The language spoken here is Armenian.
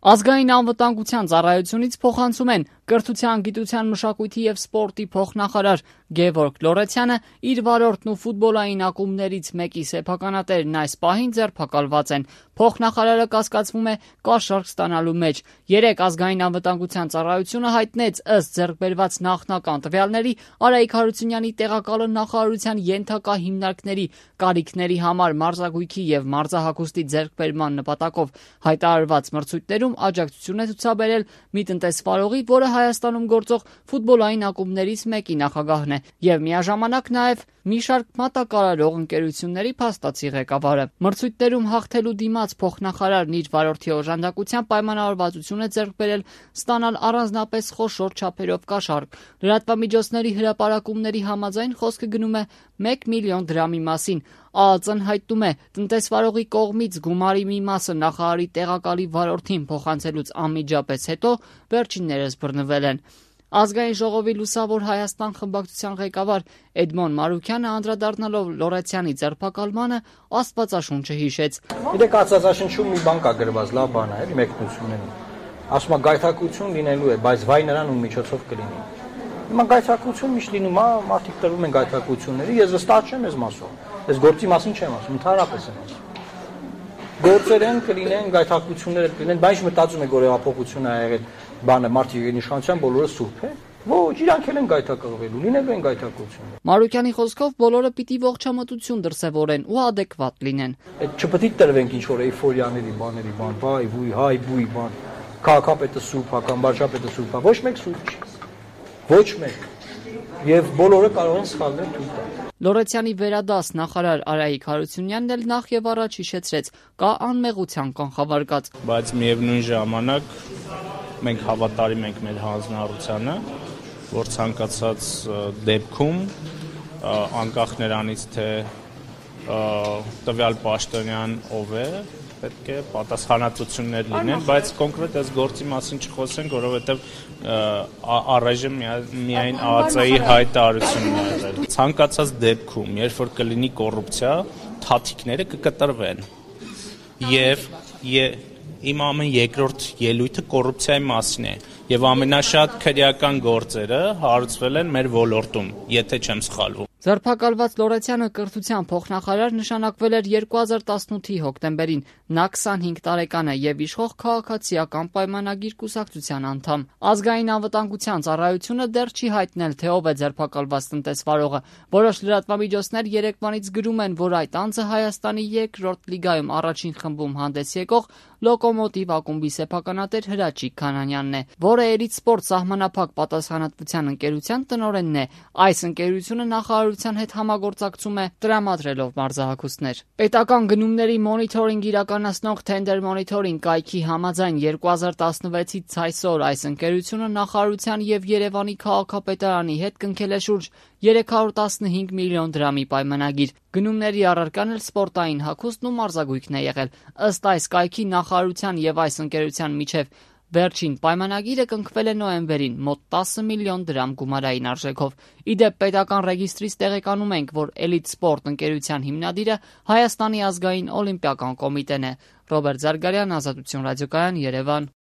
Ազգային անվտանգության ծառայությունից փոխանցում են կրթության, գիտության, մշակույթի եւ սպորտի փոխնախարար Գևորգ Լորեցյանը իր վարորդն ու ֆուտբոլային ակումբներից մեկի սեփականատերն այս պահին ձերբակալված են։ Փոխնախարարը կասկածվում է կաշառք ստանալու մեջ։ Երեկ ազգային անվտանգության ծառայությունը հայտնեց ըստ ձեռքբերված նախնական տվյալների Արայիկ Հարությունյանի տեղակալը նախարարության ենթակա հիմնարկների կարիքների համար մարզագույքի եւ մարզահագուստի ձեռքբերման նպատակով հայտարարված մրցույթներում աջակցություն է ցուցաբերել մի տնտեսվարողի, որը Հայաստանում գործող ֆուտբոլային ակումբներից մեկի նախագահն է եւ միաժամանակ նաեւ մի շարք մատակարարող ընկերությունների փաստացի ղեկավարը։ Մրցույթներում հաղթելու դիմաց փոխնախարարն իր վարորդի օժանդակությամբ պայմանավորվածություն է ձեռք բերել ստանալ առանձնապես խոշոր չափերով կաշառք։ Լրատվամիջոցների հրապարակումների համաձայն խոսքը գնում է 1 միլիոն դրամի մասին։ ԱԱԾ-ն հայտնում է, տնտեսվարողի կողմից գումարի մի մասը նախարարի տեղակալի վարորդին փոխանցելուց անմիջապես հետո վերջիններս բռնվել են։ Ազգային ժողովի Լուսավոր Հայաստան խմբակցության ղեկավար Էդմոն Մարուքյանը անդրադառնալով Լորեցյանի ձերբակալմանը աստվածաշունչը հիշեց։ Գիտեք, աստվածաշնչում մի բան կա գրված, լավ բան է, էլի մեկնություններում։ Ասում է գայթակղություն լինելու է, բայց վայ նրան ում միջոցով կլինի։ Հիմա գայթակղություն միշտ լինում է, մարդիկ տրվում են գայթակղությունների, ես վստահ չեմ այս մասով։ Այս գործի մասին չեմ ասում, ընդհանրապես եմ ասում։ Գործեր են կլինեն, գայթակղություններ կլինեն, բայց մտածում եք, որ հեղափոխություն է եղել, բանը մարդիկ իշխանության բոլորը սուրբ է։ Ոչ, իրանք էլ են գայթակղվելու, լինելու են գայթակղություններ։ Մարուքյանի խոսքով բոլորը պիտի ողջամտություն դրսևորեն ու adekvat լինեն։ Այդ չպետք է տրվենք ինչ որ էյֆորիաների բաների բան, բայ, վույ, հայ, բույ բան։ Քաղաքապետը սուրբ է, կամ վարչապետը սուրբ է, ոչ մեկ սուրբ չի։ Ոչ մեկ։ Եվ բոլորը կարող են սխալներ թույլ տալ։ Լորեցյանի վերադաս նախարար Արայիկ Հարությունյանն էլ նախ եւ առաջ հիշեցրեց, կա անմեղության կանխավարկած։ Բայց միևնույն ժամանակ մենք հավատարիմ ենք մեր հանձնառությանը, որ ցանկացած դեպքում անկախ նրանից թե տվյալ պաշտոնյան ով է, պետք է պատասխանատվություններ լինեն, բայց կոնկրետ այս գործի մասին չխոսենք, որովհետև առայժմ միայն ԱԱԾ-ի հայտարարությունն է եղել։ Ցանկացած դեպքում, երբ որ կլինի կոռուպցիա, թաթիկները կկտրվեն։ Եվ իմ ամեն երկրորդ ելույթը կոռուպցիայի մասին է, եւ ամենաշատ քրեական գործերը հարուցվել են մեր ոլորտում, եթե չեմ սխալվում։ Ձերբակալված Լորեցյանը կրթության փոխնախարար նշանակվել էր 2018-ի հոկտեմբերին։ Նա 25 տարեկան է եւ իշխող քաղաքացիական պայմանագիր կուսակցության անդամ։ Ազգային անվտանգության ծառայությունը դեռ չի հայտնել, թե ով է ձերբակալված տնտեսվարողը։ Որոշ լրատվամիջոցներ երեկվանից գրում են, որ այդ անձը Հայաստանի երկրորդ լիգայում առաջին խմբում հանդես եկող Լոկոմոտիվ ակումբի սեփականատեր Հրաչիկ Քանանյանն է, որը Էրիտ Սպորտ սահմանափակ պատասխանատվության ընկերության տնօրենն է։ Այս ընկերությունը նախարարության հետ համագործակցում է տրամադրելով մարզահագուստներ։ Պետական գնումների մոնիթորինգ իրականացնող Tender Monitoring կայքի համաձայն 2016-ից այսօր այս ընկերությունը նախարարության եւ Երևանի քաղաքապետարանի հետ կնքել է շուրջ 315 միլիոն դրամի պայմանագիր։ Գնումների առարկան էլ սպորտային հագուստն ու մարզագույքն է եղել։ Ըստ այս կայքի նախարարության եւ այս ընկերության միջև վերջին պայմանագիրը կնքվել է նոյեմբերին մոտ 10 միլիոն դրամ գումարային արժեքով։ Իդեպ պետական ռեգիստրից տեղեկանում ենք, որ Էլիտ Սպորտ ընկերության հիմնադիրը Հայաստանի ազգային օլիմպիական կոմիտեն է։ Ռոբերտ Զարգարյան, Ազատություն ռադիոկայան, Երևան։